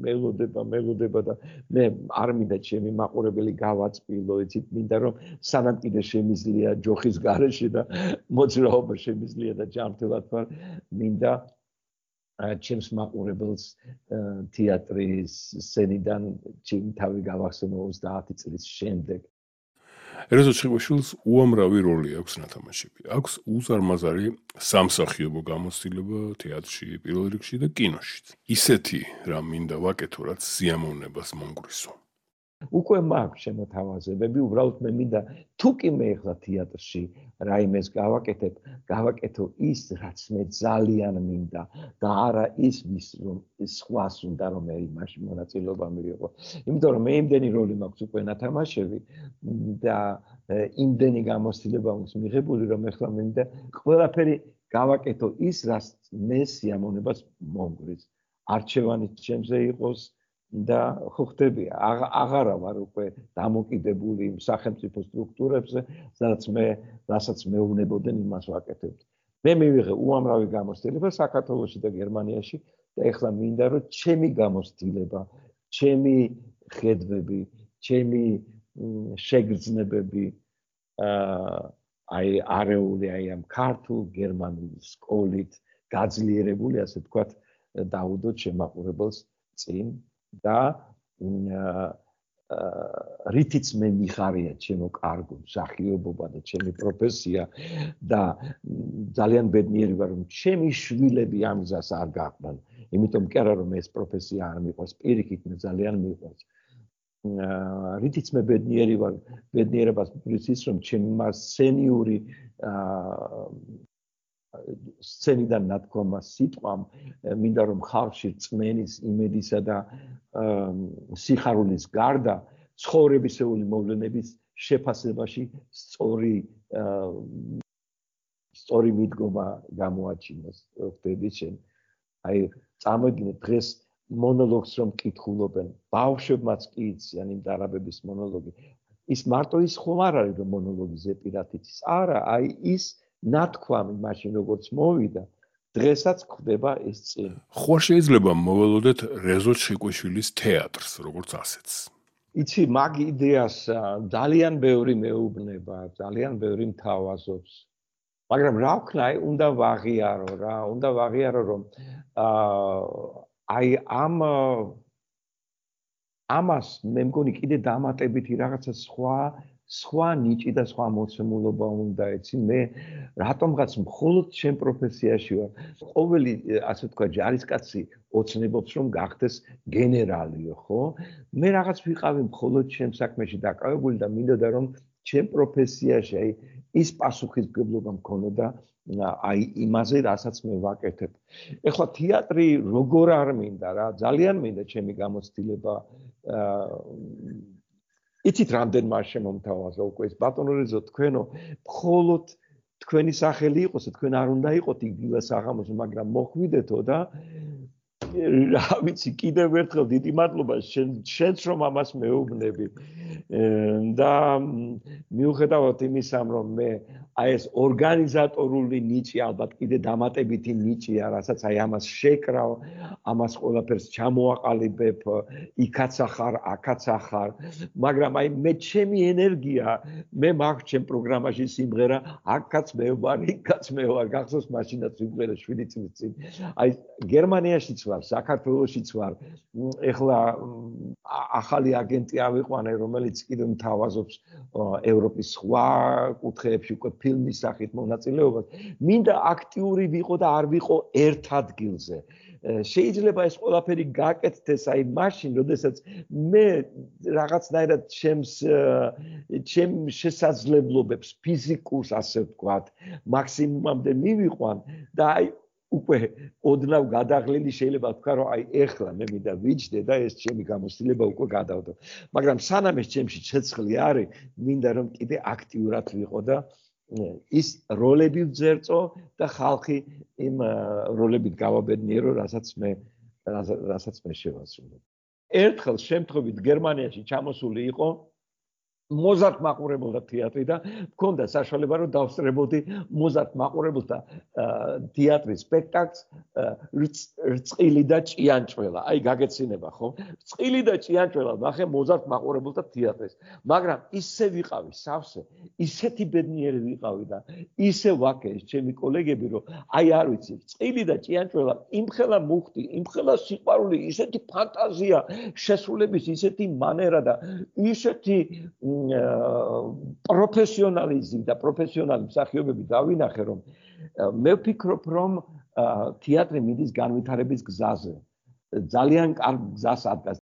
მელოდება, მელოდება და მე არ მინდა ჩემი მაყურებელი გავაწმილო, იცით, მინდა რომ სანამ კიდე შემიძლია ჯოხის გარეშე და მოძრაობა შემიძლია და ჯანმრთელად ვარ, მინდა ჩემს მაყურებელს თეატრის სცენიდან ჩემი თავი გავახსენო ოცდაათი წლის შემდეგ. ერაზო ჩხიკვაშვილს უამრავი როლი აქვს ნათამაშები. აქვს უზარმაზარი სამსახიობო გამოცდილება თეატრში, პირველ რიგში და კინოში. ისეთი რამ მინდა ვაკეთო, რაც სიამოვნებას მომგვრისო. უკვე მაქვს შემოთავაზებები, უბრალოდ მე მინდა თუ კი მე ახლა თეატრში რაიმეს გავაკეთებ, გავაკეთო ის, რაც მე ძალიან მინდა და არა ის, ვის რომ სხვას უნდა რომ მე იმაში მონაწილეობა მივიღო. იმიტომ რომ მე იმდენი როლი მაქვს უკვე ნათამაშები და იმდენი გამოცდილება აქვს მიღებული, რომ ახლა მე მინდა ყველაფერი გავაკეთო ის, რაც მე სიამოვნებას მომგვრის. არჩევანი ჩემზე იყოს და ხო ხდები, აღარა ვარ უკვე დამოკიდებული იმ სახელმწიფო სტრუქტურებზე, სადაც მე, რასაც მეუბნებოდნენ, იმას ვაკეთებთ. მე მივიღე უამრავი გამოცდილება საქართველოში და გერმანიაში და ეხლა მინდა რომ ჩემი გამოცდილება, ჩემი ხედვები, ჩემი შეგრძნებები აი არეული აი ამ ქართულ გერმანულ სკოლით გაძლიერებული, ასე ვთქვათ, დაუდოთ შემაყურებელს წინ და რითიც მე მიხარია ჩემო კარგო მსახიობობა და ჩემი პროფესია და ძალიან ბედნიერი ვარ რომ ჩემი შვილები ამ გზას არ გაყვნენ. იმიტომ კი არა რომ ეს პროფესია არ მიყვარს, პირიქით მე ძალიან მიყვარს. რითიც მე ბედნიერი ვარ, ბედნიერებას მგრძის რომ ჩემი სენიური სცენიდან ნათქვამა სიტყვამ მინდა რომ ხალხში რწმენის, იმედისა და სიხარულის გარდა ცხოვრებისეული მოვლენების შეფასებაში სწორი სწორი მიდგომა გამოაჩინოს. ხდები შენ. აი წამოიდგინე დღეს მონოლოგს რომ კითხულობენ, ბავშვებმაც კი იციან იმ დარაბების მონოლოგი. ის მარტო ის ხომ არ არის რომ მონოლოგი ზეპირად იცის. არა, აი ის ნათქვამი მაშინ როგორც მოვიდა, დღესაც ხდება ეს წინ. ხო შეიძლება მოველოდეთ რეზო ჩხიკვაშვილის თეატრს, როგორც ასეთს. იცი, მაგ იდეას ძალიან ბევრი მეუბნება, ძალიან ბევრი მთავაზობს. მაგრამ რა ვქნა, უნდა ვაღიარო რა, უნდა ვაღიარო რომ აი ამ ამას მე მგონი კიდე დამატებითი რაღაცა სხვა სხვა ნიჭი და სხვა მოცემულობა უნდა იცი. მე რატომღაც მხოლოდ ჩემ პროფესიაში ვარ. ყოველი ასე თქვა ჯარისკაცი ოცნებობს რომ გახდეს გენერალიო, ხო? მე რაღაც ვიყავი მხოლოდ ჩემ საქმეში დაკავებული და მინდოდა რომ ჩემ პროფესიაში აი ის პასუხისმგებლობა მქონოდა აი იმაზე, რასაც მე ვაკეთებ. ეხლა თეატრი როგორ არ მინდა რა, ძალიან მინდა ჩემი გამოცდილება. იცით რამდენმა შემომთავაზა უკვე ეს ბატონო რეზო თქვენო, მხოლოდ თქვენი სახელი იყოს, თქვენ არ უნდა იყოთ იგივე საღამოს, მაგრამ მოხვიდეთო და რა ვიცი, კიდევ ერთხელ დიდი მადლობა შენც რომ ამას მეუბნები. და მიუხედავად იმისა, რომ მე აი ეს ორგანიზატორული ნიჭი ალბათ კიდე დამატებითი ნიჭია, რასაც აი ამას შეკრავ, ამას ყველაფერს ჩამოაყალიბებ, იქაც ახარ, აქაც ახარ, მაგრამ აი მე ჩემი ენერგია, მე მაქვს ჩემ პროგრამაში სიმღერა, აქაც მე ვარ, იქაც მე ვარ, გახსოვს მაშინაც ვიმღერე შვიდი წლის წინ. აი გერმანიაშიც ვარ, საქართველოშიც ვარ. ეხლა ახალი აგენტი ავიყვანე, რომელიც კიდე მთავაზობს ევროპის სხვა კუთხეებში უკვე ფილმის სახით მონაწილეობას. მინდა აქტიური ვიყო და არ ვიყო ერთ ადგილზე. შეიძლება ეს ყველაფერი გაკეთდეს აი მაშინ, როდესაც მე რაღაცნაირად ჩემს ჩემ შესაძლებლობებს ფიზიკურს ასე ვთქვათ, მაქსიმუმამდე მივიყვან და აი უკვე ოდნავ გადაღლილი შეიძლება ვთქვა, რომ აი ეხლა მე მინდა ვიჯდე და ეს ჩემი გამოცდილება უკვე გადავდო. მაგრამ სანამ ეს ჩემში ცეცხლი არის, მინდა რომ კიდე აქტიურად ვიყო და ის როლები ვძერწო და ხალხი იმ როლებით გავაბედნიერო, რასაც მე რასაც მე შევასრულებ. ერთხელ შემთხვევით გერმანიაში ჩამოსული იყო მოზარდ მაყურებელთა თეატრი და მქონდა საშუალება რომ დავსწრებოდი მოზარდ მაყურებელთა თეატრის სპექტაკლს რწყილი და ჭიანჭველა. აი გაგეცინება ხო? რწყილი და ჭიანჭველა ნახე მოზარდ მაყურებელთა თეატრის. მაგრამ ისე ვიყავი სავსე, ისეთი ბედნიერი ვიყავი და ისე ვაკე ეს ჩემი კოლეგები რომ აი არ ვიცი, რწყილი და ჭიანჭველა იმხელა მუხტი, იმხელა სიყვარული, ისეთი ფანტაზია, შესრულების ისეთი მანერა და ისეთი პროფესიონალიზმი და პროფესიონალი მსახიობები დავინახე, რომ მე ვფიქრობ, რომ თეატრი მიდის განვითარების გზაზე. ძალიან კარგ გზას ადგას.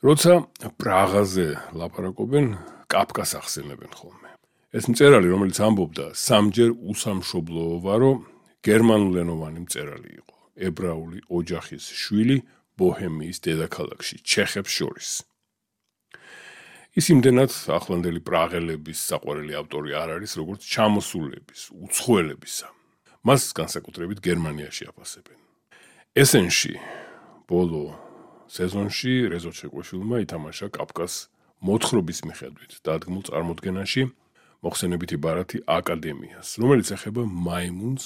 როცა პრაღაზე ლაპარაკობენ, კაფკას ახსენებენ ხოლმე. ეს მწერალი, რომელიც ამბობდა, სამჯერ უსამშობლოა, რომ გერმანულენოვანი მწერალი იყო. ებრაული ოჯახის შვილი ბოჰემიის დედაქალაქში, ჩეხებს შორის. ის იმდენად ახლანდელი პრაღელების საყვარელი ავტორი არ არის, როგორც ჩამოსულების, უცხოელებისა. მას განსაკუთრებით გერმანიაში აფასებენ. ესენში, ბოლო სეზონში რეზო ჩეკვეშვილმა ითამაშა კაფკას მოთხრობის მიხედვით დადგმულ წარმოდგენაში მოხსენებითი ბარათი აკადემიას, რომელიც ეხება მაიმუნს,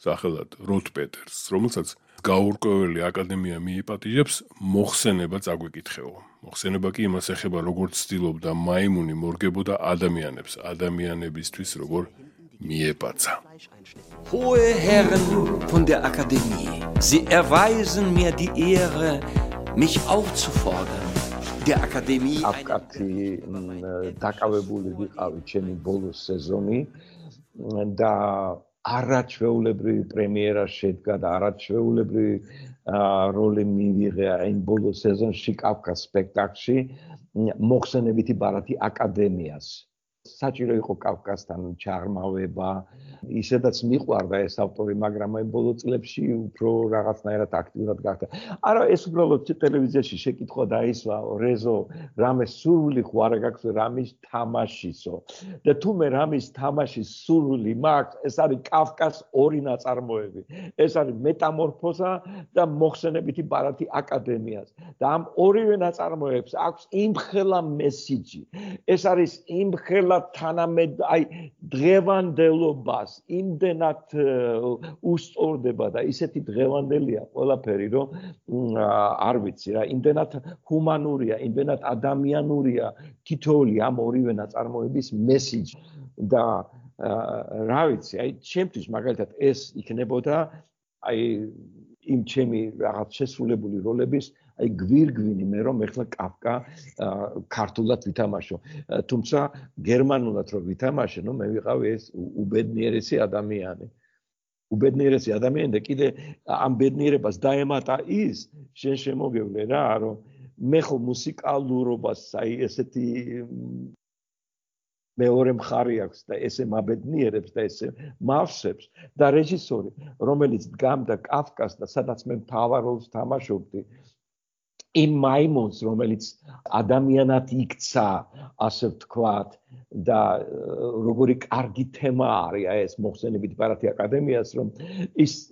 სახელად როთ პეტერს, რომელსაც გაურკვეველი აკადემია მიიპატიჟებს, მოხსენება წაგვიკითხეო. მოხსენება კი იმას ეხება, როგორც ცდილობდა მაიმუნი მორგებოდა ადამიანებს, ადამიანებისთვის როგორ მიეპაცა. Hohe Herren von der Akademie, Sie erweisen mir die Ehre, mich aufzufordern. Der Akademie აკაცი დაკავებული ვიყავი ჩემი ბოლო სეზონი და არაჩვეულებრივი პრემიერა შედგა და არაჩვეულებრივი როლი მივიღე იმ ბოლო სეზონში კაფკას სპექტაკლში მოხსენებითი ბარათი აკადემიას. საჭირო იყო კაფკასთან ჩაღრმავება, ისედაც მიყვარდა ეს ავტორი, მაგრამ აი ბოლო წლებში უფრო რაღაცნაირად აქტიურად გახდა. არა, ეს უბრალოდ ტელევიზიაში შეკითხვა დაისვა, რეზო, რამე სურვილი ხო არა გაქვს რამის თამაშისო. და თუ მე რამის თამაშის სურვილი მაქვს, ეს არის კაფკას ორი ნაწარმოები. ეს არის მეტამორფოზა და მოხსენებითი ბარათი აკადემიას. და ამ ორივე ნაწარმოებს აქვს იმხელა მესიჯი. ეს არის იმხელა ყველა თანამედ აი დღევანდელობას იმდენად უსწორდება და ისეთი დღევანდელია ყველაფერი, რომ არ ვიცი რა, იმდენად ჰუმანურია, იმდენად ადამიანურია თითოეული ამ ორივე ნაწარმოების მესიჯი და რა ვიცი, აი ჩემთვის მაგალითად ეს იქნებოდა აი იმ ჩემი რაღაც შესრულებული როლების აი გვირგვინი მე რომ ეხლა კაფკა ქართულად ვითამაშო, თუმცა გერმანულად რომ ვითამაშე, ნუ მე ვიყავი ეს უბედნიერესი ადამიანი. უბედნიერესი ადამიანი და კიდე ამ ბედნიერებას დაემატა ის, შენ შემოგევლე რა, რომ მე ხო მუსიკალურობას აი ესეთი მეორე მხარი აქვს და ესე მაბედნიერებს და ესე მავსებს და რეჟისორი, რომელიც დგამდა კაფკას და სადაც მე მთავარ როლს თამაშობდი, იმ მაიმონს, რომელიც ადამიანად იქცა, ასე ვთქვათ, და როგორი კარგი თემა არის ეს მოხსენებით ბარათი აკადემიას, რომ ის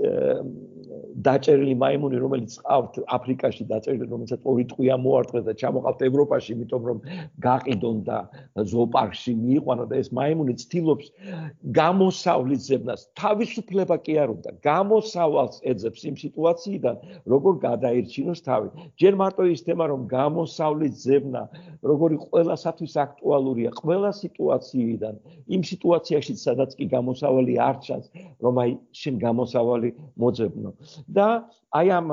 დაჭერილი მაიმუნი, რომელიც ყავთ აფრიკაში დაჭერილი, რომელსაც ორი ტყვია მოარტყეს და ჩამოყავთ ევროპაში, იმიტომ რომ გაყიდონ და ზოოპარკში მიიყვანონ და ეს მაიმუნი ცდილობს გამოსავლის ზებნას, თავისუფლება კი არ უნდა, გამოსავალს ეძებს იმ სიტუაციიდან, როგორ გადაირჩინოს თავი. ჯერ მარტო ის თემა, რომ გამოსავლის ზებნა, როგორი ყველასათვის აქტუალურია, ყველა სიტუაციიდან, იმ სიტუაციაში, სადაც კი გამოსავალი არ ჩანს, რომ აი შენ გამოსავალი მოძებნო. და აი ამ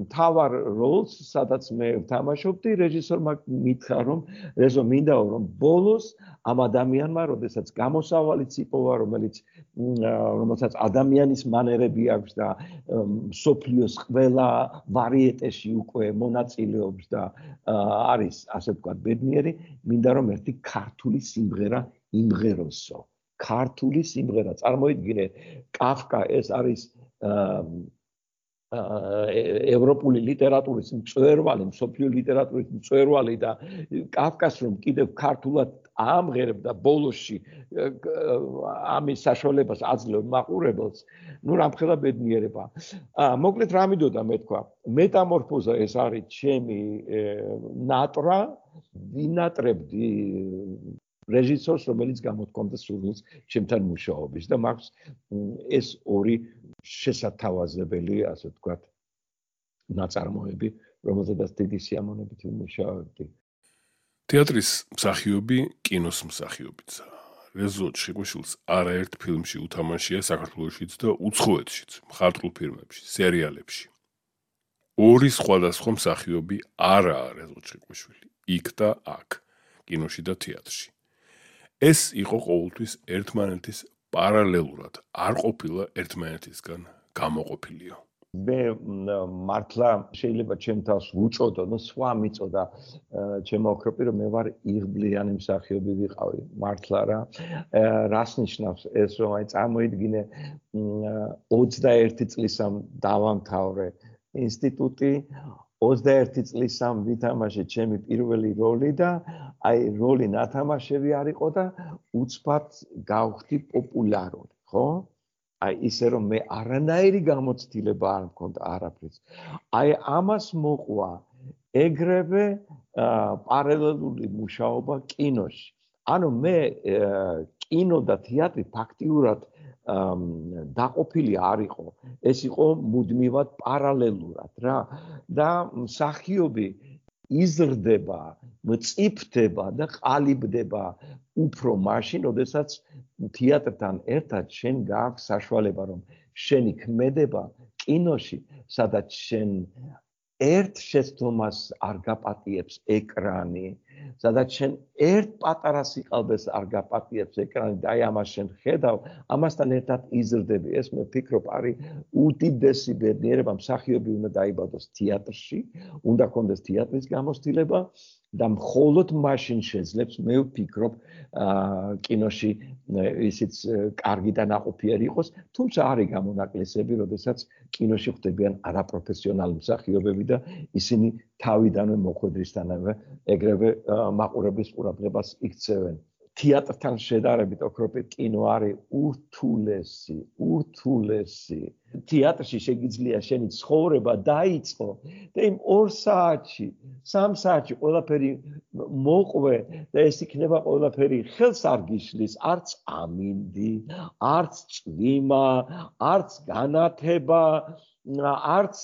მთავარ როლს, სადაც მე ვთამაშობდი, რეჟისორმა მითხრა, რომ რეზო მინდაო, რომ ბოლოს ამ ადამიანმა, როდესაც გამოსავალიც იპოვა, რომელიც რომელსაც ადამიანის მანერები აქვს და მსოფლიოს ყველა ვარიეტეში უკვე მონაწილეობს და არის, ასე ვთქვათ, ბედნიერი, მინდა რომ ერთი ქართული სიმღერა იმღეროსო. ქართული სიმღერა, წარმოიდგინე, კაფკა ეს არის ევროპული ლიტერატურის მწვერვალი, მსოფლიო ლიტერატურის მწვერვალი და კაფკას რომ კიდევ ქართულად ამღერებდა ბოლოსში ამის საშუალებას აძლევ მაყურებელს, ნუ რამხელა ბედნიერება. მოკლედ რა მინდოდა მე თქვა, მეტამორფოზა ეს არის ჩემი ნატრა, ვინატრებდი რეჟისორს, რომელიც გამოთქვამდა სურვილს ჩემთან მუშაობის და მაქვს ეს ორი შესათავაზებელი, ასე ვთქვათ, ნაწარმოები, რომელზედაც დიდი სიამოვნებით ვიმუშავებდი. თეატრის მსახიობი კინოს მსახიობიცა. რეზო ჩხიკვაშვილს არაერთ ფილმში უთამაშია საქართველოშიც და უცხოეთშიც, მხატვრულ ფილმებში, სერიალებში. ორი სხვადასხვა მსახიობი არაა რეზო ჩხიკვაშვილი, იქ და აქ, კინოში და თეატრში. ეს იყო ყოველთვის ერთმანეთის პარალელურად არ ყოფილა ერთმანეთისგან გამოყოფილიო. მე მართლა შეიძლება ჩემ თავს ვუწოდო, ნუ სხვა მიწოდა ჩემო ოქროპი, რომ მე ვარ იღბლიანი მსახიობი ვიყავი, მართლა რა. რას ნიშნავს ეს, რომ აი წარმოიდგინე ოცდაერთი წლისამ დავამთავრე ინსტიტუტი, ოცდაერთი წლისამ ვითამაშე ჩემი პირველი როლი და აი როლი ნათამაშები არ იყო და უცბად გავხდი პოპულარული, ხო? აი ისე რომ მე არანაირი გამოცდილება არ მქონდა არაფრის. აი ამას მოყვა ეგრევე პარალელური მუშაობა კინოში. ანუ მე კინო და თეატრი ფაქტიურად დაყოფილი არ იყო. ეს იყო მუდმივად პარალელურად რა და მსახიობი იზრდება, მწიფდება და ყალიბდება უფრო მაშინ, როდესაც თეატრთან ერთად შენ გააქვს საშუალება, რომ შენი ქმედება კინოში, სადაც შენ ერთ შეცდომას არ გაპატიებს ეკრანი, სადაც შენ ერთ პატარა სიყალბეს არ გაპატიებს ეკრანი და აი ამას შენ ხედავ, ამასთან ერთად იზრდები. ეს მე ვფიქრობ, არის უდიდესი ბედნიერება, მსახიობი უნდა დაიბადოს თეატრში, უნდა ქონდეს თეატრის გამოცდილება და მხოლოდ მაშინ შეძლებს, მე ვფიქრობ, კინოში ისიც კარგი და ნაყოფიერი იყოს, თუმცა არის გამონაკლისები, როდესაც კინოში ხდებიან არაპროფესიონალი მსახიობები და ისინი თავიდანვე მოხვედრისთანავე ეგრევე მაყურებლის ყურადღებას იქცევენ. თეატრთან შედარებით ოქროპირ კინო არის ურთულესი, ურთულესი. თეატრში შეგიძლია შენი ცხოვრება დაიწყო და იმ ორ საათში, სამ საათში ყველაფერი მოყვე და ეს იქნება ყველაფერი ხელს არ გიშლის, არც ამინდი, არც წვიმა, არც განათება, არც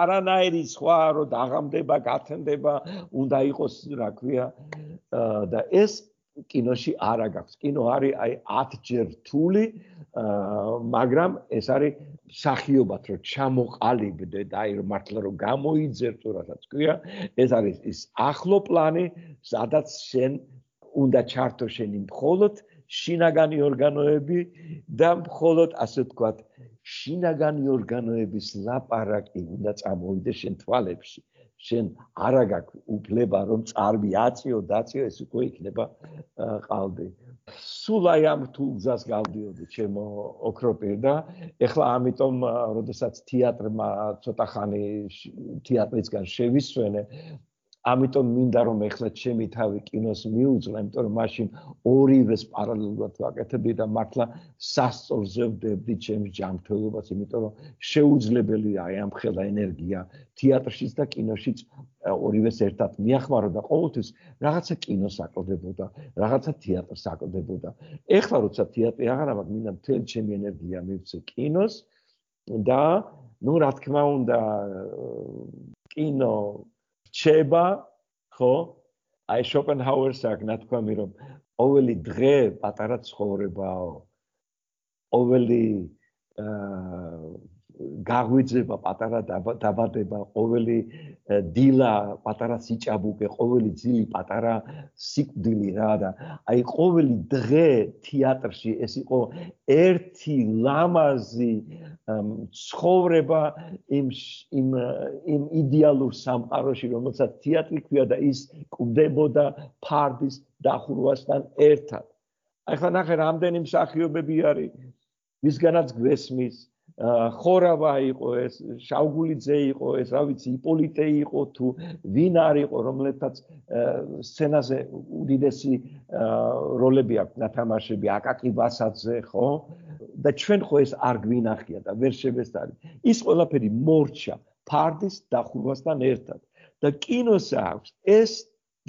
არანაირი სხვა რო დაღამდება, გათენდება, უნდა იყოს, რა ქვია, და ეს კინოში არა გაქვს. კინო არის აი ათჯერ რთული, მაგრამ ეს არის მსახიობად რომ ჩამოყალიბდე და აი მართლა რომ გამოიძერწო, რასაც ქვია, ეს არის ის ახლო პლანი, სადაც შენ უნდა ჩართო შენი მხოლოდ შინაგანი ორგანოები და მხოლოდ ასე ვთქვათ, შინაგანი ორგანოების ლაპარაკი უნდა წამოვიდეს შენ თვალებში. შენ არა გაქვს უფლება რომ წარვი აწიო, დაწიო, ეს უკვე იქნება ყალბი. სულ აი ამ რთულ გზას გავდიოდი ჩემო ოქროპირ და ეხლა ამიტომ, როდესაც თეატრმა ცოტა ხანი თეატრისგან შევისვენე, ამიტომ მინდა რომ ეხლა ჩემი თავი კინოს მიუძღვა, იმიტომ რომ მაშინ ორივეს პარალელურად ვაკეთებდი და მართლა სასწორზე ვდებდი ჩემს ჯანმრთელობას, იმიტომ რომ შეუძლებელია აი ამ ხელა ენერგია თეატრშიც და კინოშიც ორივეს ერთად მიახმარო და ყოველთვის რაღაცა კინოს აკლდებოდა, რაღაცა თეატრს აკლდებოდა. ეხლა როცა თეატრი აღარა მაქვს, მინდა მთელი ჩემი ენერგია მივცე კინოს და ნუ რა თქმა უნდა კინო რჩება, ხო? აი შოპენჰაუერს აქვს ნათქვამი, რომ ყოველი დღე პატარა ცხოვრებაო. ყოველი გაღვიძება პატარა დაბადება, ყოველი დილა პატარა სიჭაბუკე, ყოველი ძილი პატარა სიკვდილი რა და აი ყოველი დღე თეატრში ეს იყო ერთი ლამაზი ცხოვრება იმ იმ იმ იდეალურ სამყაროში, რომელსაც თეატრი ქვია და ის კვდებოდა ფარდის დახურვასთან ერთად. აი ხა ნახე რამდენი მსახიობები არის, ვისგანაც გვესმის, ხორავა იყო ეს, შავგულიძე იყო ეს, რა ვიცი, იპოლიტე იყო თუ ვინ არის იყო, რომლეთაც სცენაზე უდიდესი როლები აქვს ნათამაშები, აკაკი ბასაძე, ხო? და ჩვენ ხო ეს არ გვინახია და ვერ შევესწარი. ის ყველაფერი მორჩა ფარდის დახურვასთან ერთად. და კინოს აქვს ეს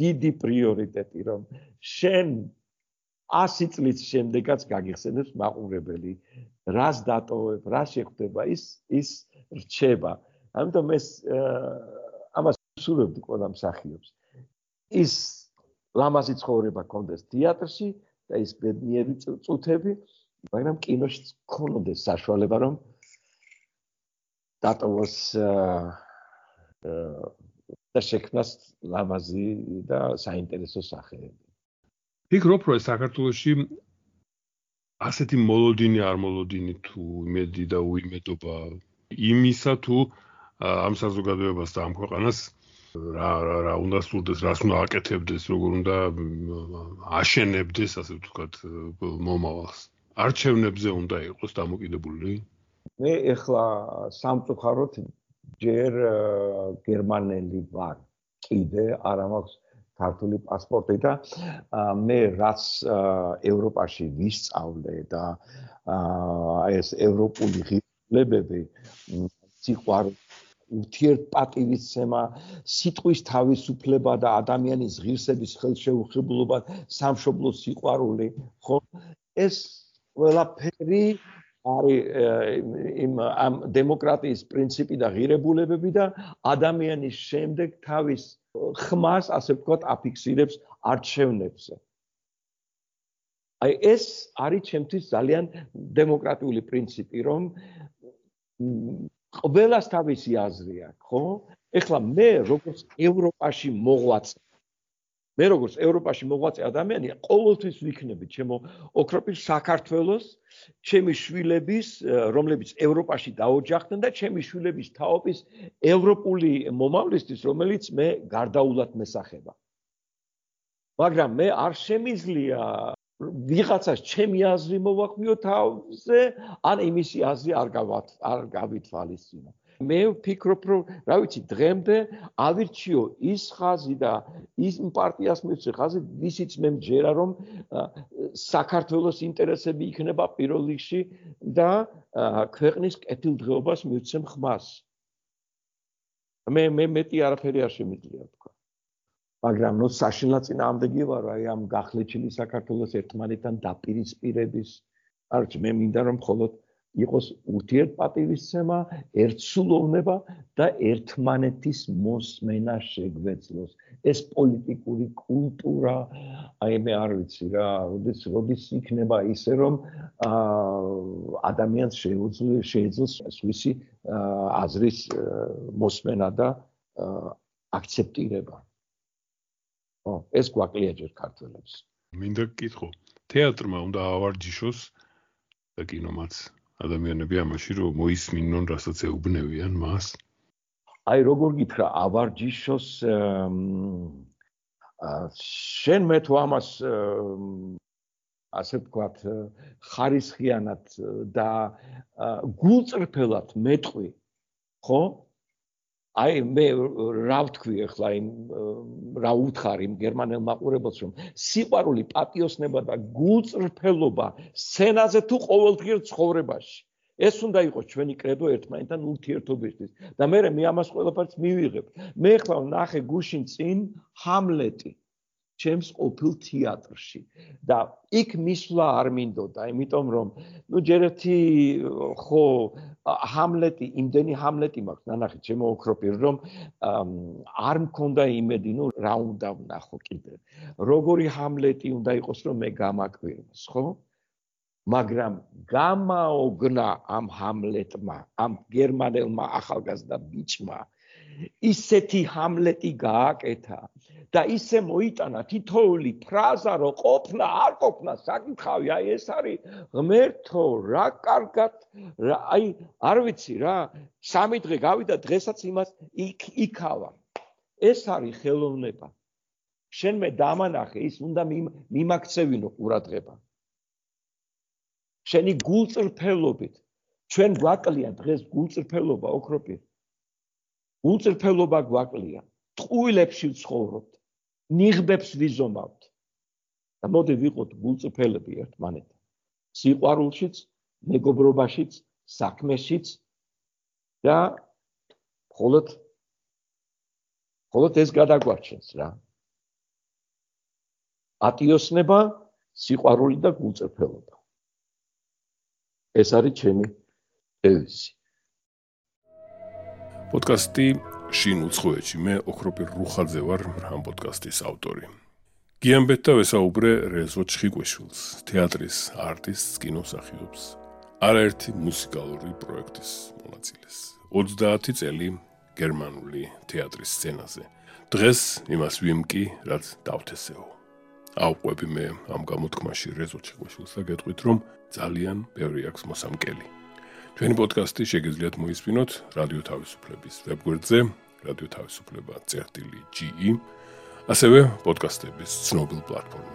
დიდი პრიორიტეტი, რომ შენ ასი წლის შემდეგაც გაგიხსენებს მაყურებელი, რას დატოვებ, რა შეხვდება, ის ის რჩება. ამიტომ ეს ამას ვსურვებდი ყველა მსახიობს. ის ლამაზი ცხოვრება გქონდეს თეატრში და ის ბედნიერი წუთები, მაგრამ კინოში გქონდეს საშუალება, რომ დატოვოს და შექმნას ლამაზი და საინტერესო სახეები. ფიქრობ, რომ საქართველოში ასეთი მოლოდინი არ მოლოდინი თუ იმედი და უიმედობა იმისა თუ ამ საზოგადოებას და ამ ქვეყანას რა რა უნდა სურდეს, რას უნდა აკეთებდეს, როგორ უნდა აშენებდეს, ასე ვთქვათ, მომავალს. არჩევნებზე უნდა იყოს დამოკიდებული? მე ეხლა სამწუხაროდ ჯერ გერმანელი ვარ. კიდე არ მაქვს ქართული პასპორტი და მე რაც ევროპაში ვისწავლე და ეს ევროპული ღირებულებები, სიყვარული, ურთიერთპატივისცემა, სიტყვის თავისუფლება და ადამიანის ღირსების ხელშეუხებლობა, სამშობლოს სიყვარული, ხო? ეს ყველაფერი არის იმ ამ დემოკრატიის პრინციპი და ღირებულებები და ადამიანის შემდეგ თავის ხმას, ასე ვთქვათ, აფიქსირებს არჩევნებზე. აი ეს არის ჩემთვის ძალიან დემოკრატიული პრინციპი, რომ ყველას თავისი აზრი აქვს, ხო? ეხლა მე როგორც ევროპაში მოღვაწე, მე როგორც ევროპაში მოღვაწე ადამიანი, ყოველთვის ვიქნები ჩემო ოქროპირ საქართველოს, ჩემი შვილების, რომლებიც ევროპაში დაოჯახდნენ და ჩემი შვილების თაობის ევროპული მომავლისთვის, რომელიც მე გარდაულად მესახება. მაგრამ მე არ შემიძლია ვიღაცას ჩემი აზრი მოვახვიო თავზე, ან იმისი აზრი არ გავითვალისწინო. მე ვფიქრობ, რომ რა ვიცი, დღემდე ავირჩიო ის ხაზი და ის პარტიას მივცე ხაზი, ისიც მე მჯერა, რომ საქართველოს ინტერესები იქნება პირველ რიგში და ქვეყნის კეთილდღეობას მივცემ ხმას. მე მე მეტი არაფერი არ შემიძლია თქვა. მაგრამ ნუ საშინლად წინააღმდეგი ვარ, აი ამ გახლეჩილი საქართველოს ერთმანეთთან დაპირისპირების. არ ვიცი, მე მინდა რომ მხოლოდ იყოს ურთიერთპატივისცემა, ერთსულოვნება და ერთმანეთის მოსმენა შეგვეძლოს. ეს პოლიტიკური კულტურა, აი მე არ ვიცი რა, როდის როდის იქნება ისე რომ ადამიანს შეეძლოს სხვისი აზრის მოსმენა და აქცეპტირება. ო, ეს გვაკლია ჯერ ქართველებს. მინდა გკითხო, თეატრმა უნდა ავარჯიშოს და კინომაც ადამიანები ამაში რომ მოისმინონ, რასაც ეუბნევიან მას. აი როგორ გითხრა, ავარჯიშოს შენ მე თუ ამას ასე ვთქვათ, ხარისხიანად და გულწრფელად მეტყვი, ხო? აი მე რა ვთქვი ახლა იმ რა უთხარ იმ გერმანელ მაყურებელს რომ სიყვარული, პატიოსნება და გულწრფელობა სცენაზე თუ ყოველდღიურ ცხოვრებაში ეს უნდა იყოს ჩვენი კრედო ერთმანეთთან ურთიერთობისთვის და მე მე ამას ყველაფერს მივიღებ. მე ახლა ნახე გუშინ წინ ჰამლეტი ჩემს ყოფილ თეატრში და იქ მისვლა არ მინდოდა, იმიტომ რომ ნუ ჯერ ერთი ხო ჰამლეტი, იმდენი ჰამლეტი მაქვს, ნანახი, ჩემო ოქროპირი, რომ არ მქონდა იმედი, ნუ რა უნდა ვნახო კიდე. როგორი ჰამლეტი უნდა იყოს, რომ მე გამაკვირვოს, ხო? მაგრამ გამაოგნა ამ ჰამლეტმა, ამ გერმანელმა ახალგაზრდა ბიჭმა ისეთი ჰამლეტი გააკეთა და ისე მოიტანა თითოეული ფრაზა რო ყოფნა არ ყოფნა საკითხავი, აი ეს არის ღმერთო, რა კარგად, აი არ ვიცი რა, სამი დღე გავიდა, დღესაც იმას იქავა. ეს არის ხელოვნება. შენ მე დამანახე, ის უნდა მიმაქცევინო ყურადღება. შენი გულწრფელობით, ჩვენ გვაკლია დღეს გულწრფელობა ოქროპირი. გულწრფელობა გვაკლია, ტყუილებში ვცხოვრობთ, ნიღბებს ვიზომავთ. და მოდი ვიყოთ გულწრფელები ერთმანეთთან. სიყვარულშიც, მეგობრობაშიც, საქმეშიც და მხოლოდ მხოლოდ ეს გადაგვარჩენს რა. პატიოსნება, სიყვარული და გულწრფელობა. ეს არის ჩემი დევიზი. პოდკასტი შინ უცხოეთში, მე ოქროპირ რუხაძე ვარ ამ პოდკასტის ავტორი. გიამბეთ და ვესაუბრე რეზო ჩხიკვეშვილს, თეატრის არტისტს, კინომსახიობს, არაერთი მუსიკალური პროექტის მონაწილეს. ოცდაათი წელი გერმანული თეატრის სცენაზე. დღეს იმას ვიმკი, რაც დავთესეო. ავყვები მე ამ გამოთქმაში რეზო ჩხიკვეშვილს და გეტყვით, რომ ძალიან ბევრი აქვს მოსამკელი. ჩვენი პოდკასტი შეგიძლიათ მოისმინოთ რადიო თავისუფლების ვებგვერდზე, რადიო თავისუფლება წერტილი ჯი ი, ასევე პოდკასტების ცნობილ პლატფორმაზე.